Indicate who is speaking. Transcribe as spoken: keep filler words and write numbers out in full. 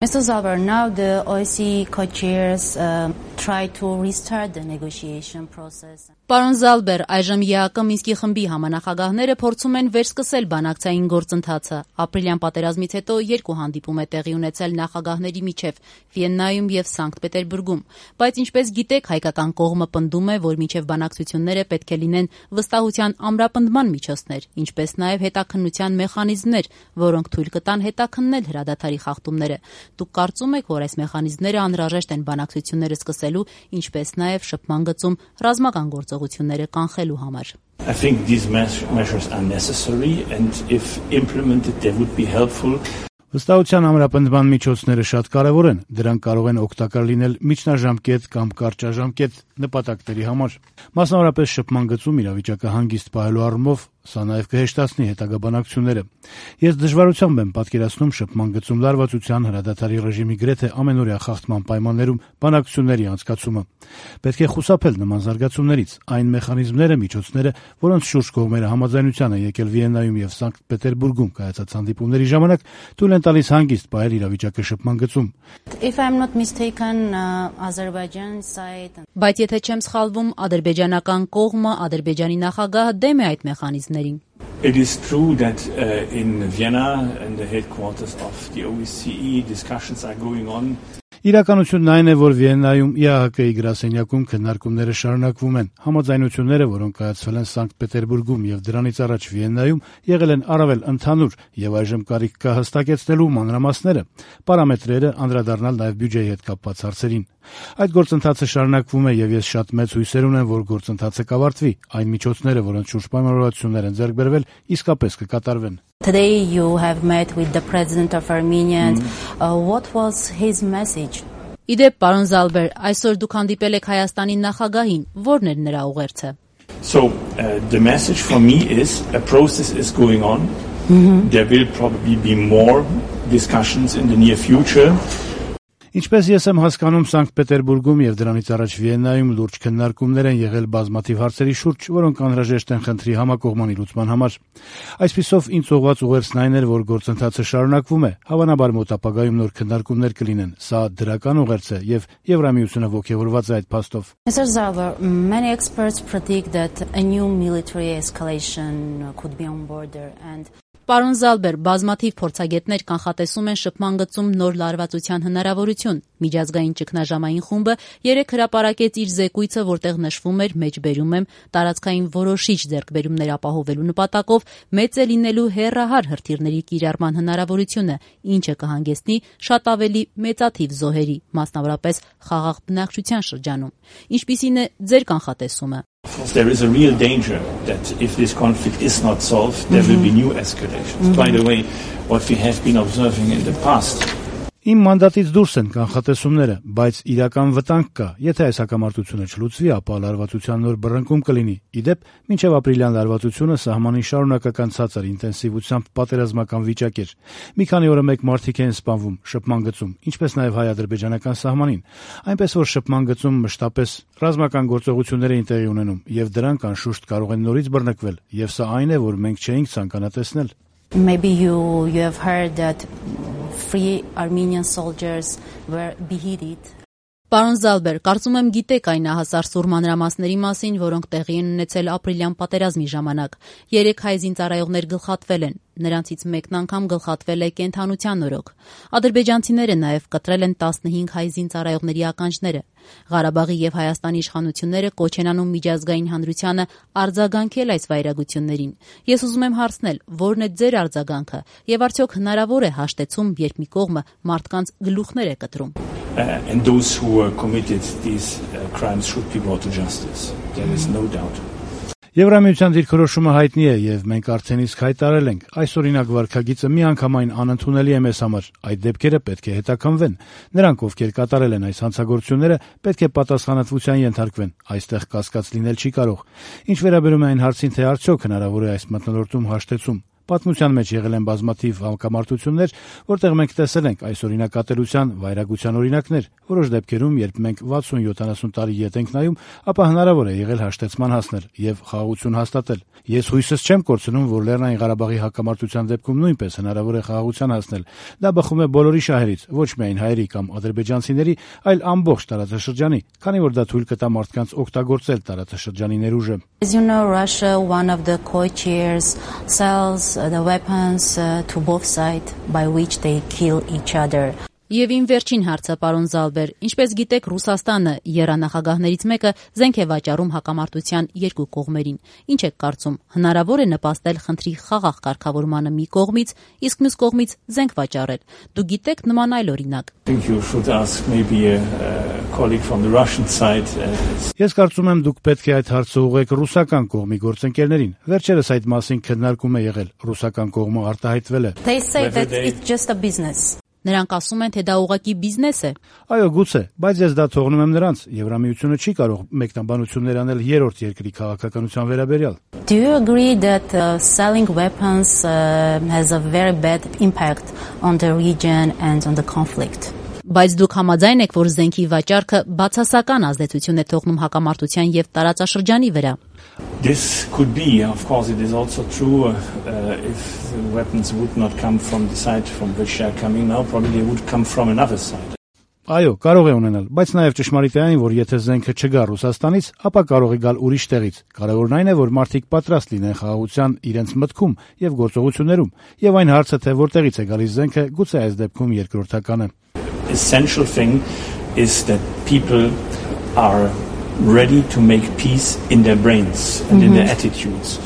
Speaker 1: Mister Zalber, now the O S C E co-chairs uh, try to restart the negotiation process.
Speaker 2: Պարոն Զալբեր, այժմ ԵԱԿ Մինսկի խմբի համանախագահները փորձում են վերսկսել բանակցային գործընթացը։ Ապրիլյան պատերազմից հետո երկու հանդիպում է տեղի ունեցել նախագահների միջև Վիեննայում եւ Սանկտ Պետերբուրգում, բայց ինչպես գիտեք, հայկական կողմը պնդում է, որ միջև բանակցությունները պետք է լինեն վստահության ամրապնդման միջոցներ, ինչպես նաեւ հետաքննության մեխանիզմներ, որոնք թույլ կտան հետաքննել հրադադարի խախտումները։ Դուք կարծում եք, որ այս մեխանիզմները անհրաժեշտ են բանակցությունները սկսելու, ինչպես նաեւ շփման գծում ռազմական գործողությունները կանխելու համար։
Speaker 3: I think these measures are necessary and if implemented they would be helpful.
Speaker 4: Վստահության ամրապնդման միջոցները շատ կարևոր են, դրանք կարող են օգտակար լինել միջնաժամկետ կամ կարճաժամկետ նպատակների համար։ Մասնավորապես շփման գծում իրավիճակը հանգիստ պահելու առումով սա նաև կհեշտացնի հետագա բանակցությունները։ Ես դժվարությամբ եմ պատկերացնում շփման գծում լարվածության հրադադարի ռեժիմի գրեթե ամենօրյա խախտման պայմաններում բանակցությունների անցկացումը։ Պետք է խուսափել նման զարգացումներից։ Այն մեխանիզմները, միջոցները, որոնց շուրջ կողմերը համաձայնության են եկել Վիեննայում եւ Սանկտ Պետերբուրգում կայացած հանդիպումների ժամանակ, թույլ են տալիս հանգիստ պահել իրավիճակը շփման գծում։
Speaker 1: If I'm not mistaken, uh, Azerbaijan side.
Speaker 2: Բայց եթե չեմ սխալվում, ադրբեջանական կողմը, Ադրբեջանի նախագահը դեմ է այդ մեխանիզմներին։
Speaker 3: It is true that uh, in Vienna and the headquarters of the O S C E discussions are going on.
Speaker 4: Իրականությունն այն է, որ Վիեննայում ԵԱՀԿ-ի գրասենյակում քննարկումները շարունակվում են։ Համաձայնությունները, որոնք կայացվել են Սանկտ Պետերբուրգում եւ դրանից առաջ Վիեննայում, եղել են առավել ընդհանուր եւ այժմ կարիք կա հստակեցնելու մանրամասները, պարամետրերը, անդրադառնալ նաեւ բյուջեի հետ կապված հարցերին։ Այդ գործընթացը շարունակվում է եւ ես շատ մեծ հույսեր ունեմ, որ գործընթացը կավարտվի։ Այն միջոցները, որոնց շուրջ պայմանավորվածություններ են ձեռք բերվել, իսկապես կկատարվեն։
Speaker 1: Today you have met with the president of Armenia. And, uh, what was his message?
Speaker 2: Իդեպ, պարոն Զալբեր, այսօր դուք հանդիպել եք Հայաստանի նախագահին, ո՞րն էր նրա ուղերձը։
Speaker 3: So uh, the message for me is a process is going on. Mm-hmm. There will probably be more discussions in the near future.
Speaker 4: Ինչպես ես եմ հասկանում, Սանկտ Պետերբուրգում եւ դրանից առաջ Վիեննայում լուրջ քննարկումներ են եղել բազմաթիվ հարցերի շուրջ, որոնք անհրաժեշտ են խնդրի համակողմանի լուծման համար։ Այսպիսով, ինձ ուղղված ուղերձն այն էր, որ գործընթացը շարունակվում է, հավանաբար մոտ ապագայում նոր քննարկումներ կլինեն։ Սա դրական ուղերձ է եւ Եվրամիությունը ողջևորված է այդ փաստով։
Speaker 1: Mister Zalber, many experts predict that a new military escalation could be on border and
Speaker 2: Պարոն Զալբեր, բազմաթիվ փորձագետներ կանխատեսում են շփման գծում նոր լարվածության հնարավորություն։ Միջազգային ճգնաժամային խումբը երեք հրապարակեց իր զեկույցը, որտեղ նշվում էր, մեջբերում եմ, տարածքային որոշիչ ձեռքբերումներ ապահովելու նպատակով մեծ է լինելու հեռահար հրթիռների կիրառման հնարավորությունը, ինչը կհանգեցնի շատ ավելի մեծաթիվ զոհերի, մասնավորապես խաղաղ բնակչության շրջանում։ Ինչպիսին է ձեր կանխատեսումը։
Speaker 3: There is a real danger that if this conflict is not solved, there will be new escalations. Mm-hmm. By the way, what we have been observing in the past.
Speaker 4: Իմ մանդատից դուրս են կանխատեսումները, բայց իրական վտանգ կա։ Եթե այս հակամարտությունը չլուծվի, ապա լարվածության նոր բռնկում կլինի։ Իդեպ, մինչև ապրիլյան լարվածությունը սահմանին շարունակական ցածր ինտենսիվությամբ պատերազմական վիճակ էր։ Մի քանի օրը մեկ մարդիկ են սպանվում շփման գծում, ինչպես նաև հայ-ադրբեջանական սահմանին։ Այնպես որ շփման գծում մշտապես ռազմական գործողություններ էին տեղի ունենում, եւ դրանք անշուշտ կարող են նորից բռնկվել, եւ սա այն է, որ մենք չէինք ցանկանա տեսնել։
Speaker 1: Maybe you you have heard that free Armenian soldiers were beheaded.
Speaker 2: Պարոն Զալբեր, կարծում եմ գիտեք այն ահասար սուր մանրամասների մասին, որոնք տեղի են ունեցել ապրիլյան պատերազմի ժամանակ։ Երեք հայ զինծառայողներ գլխատվել են։ Նրանցից մեկն անգամ գլխատվել է կենթանության օրոք։ Ադրբեջանցիները նաև կտրել են տասնհինգ հայ զինծառայողների ականջները։ Ղարաբաղի եւ Հայաստանի իշխանությունները կոչ են անում միջազգային հանրությանը արձագանքել այս վայրագություններին։ Ես ուզում եմ հարցնել, ո՞րն է ձեր արձագանքը եւ արդյոք հնարավոր է հաշտեցում, երբ մի կողմը մարդկանց գլուխներ է կտրում։
Speaker 3: Uh, and those who uh, committed these uh, crimes should be brought to justice. There is no doubt.
Speaker 4: Եվրամիության դիրքորոշումը հայտնի է եւ մենք արդեն իսկ հայտարարել ենք։ Այս օրինակ վարքագիծը միանգամայն անընդունելի է մեզ համար։ Այդ դեպքերը պետք է հետաքննվեն։ Նրանք, ովքեր կատարել են այս հանցագործությունները, պետք է պատասխանատվության ենթարկվեն։ Այստեղ կասկած լինել չի կարող։ Ինչ վերաբերում է այն հարցին, թե արդյոք հնարավոր է այս մթնոլորտում հաշտեցում, Պատմության մեջ եղել են բազմաթիվ հակամարտություններ, որտեղ մենք տեսել ենք այս օրինակատերության, վայրագության օրինակներ։ Որոշ դեպքերում, երբ մենք վաթսուն յոթանասուն տարի ետ ենք նայում, ապա հնարավոր է եղել հաշտեցման հասնել եւ խաղաղություն հաստատել։ Ես հույսս չեմ կորցնում, որ Լեռնային Ղարաբաղի հակամարտության դեպքում նույնպես հնարավոր է խաղաղության հասնել։ Դա բխում է բոլորի շահերից, ոչ միայն հայերի կամ ադրբեջանցիների, այլ ամբողջ տարածաշրջանի, քանի որ դա թույլ կտա մարդկանց օգտագործել տարածաշրջանի ներուժը։
Speaker 1: As you know, Russia, one of the co-chairs, sells the weapons uh, to both sides by which they kill each other.
Speaker 2: Եվ իմ վերջին հարցը, պարոն Զալբեր, ինչպես գիտեք, Ռուսաստանը եռանախագահներից մեկը զենք է վաճառում հակամարտության երկու կողմերին։ Ինչ եք կարծում, հնարավոր է նպաստել խնդրի խաղաղ կարգավորմանը մի կողմից, իսկ մյուս կողմից զենք վաճառել։ Դու գիտեք նման այլ օրինակ։
Speaker 4: Ես կարծում եմ, դուք պետք է այդ հարցը ուղղեք ռուսական կողմի գործընկերներին։ Վերջերս այդ մասին քննարկում է եղել։ Ռուսական կողմը արտահայտվել է։
Speaker 1: They say that it's just a business.
Speaker 2: Նրանք ասում են, թե դա ուղղակի բիզնես է։
Speaker 4: Այո, գուցե, բայց ես դա թողնում եմ նրանց։ Եվրամիությունը չի կարող մեկնաբանություններ անել երրորդ երկրի քաղաքականության վերաբերյալ։
Speaker 1: Do you agree that uh, selling weapons uh, has a very bad impact on the region and on the conflict?
Speaker 2: Բայց դուք համաձայն եք, որ զենքի վաճառքը բացասական ազդեցություն է թողնում հակամարտության եւ տարածաշրջանի վրա։
Speaker 3: This could be, of course, it is also true uh, uh, if the weapons would not come from the side from which they are coming now, probably they would come from another side.
Speaker 4: Այո, կարող է ունենալ, բայց նաև ճշմարիտ է այն, որ եթե զենքը չգա Ռուսաստանից, ապա կարող է գալ ուրիշ տեղից։ Կարևորն այն է, որ մարդիկ պատրաստ լինեն խաղաղության իրենց մտքում եւ գործողություններում, եւ այն հարցը, թե որտեղից է գալիս զենքը, գուցե այս դեպքում երկրորդական է։
Speaker 3: Essential thing is that people are ready to make peace in their brains and mm-hmm. in their attitudes.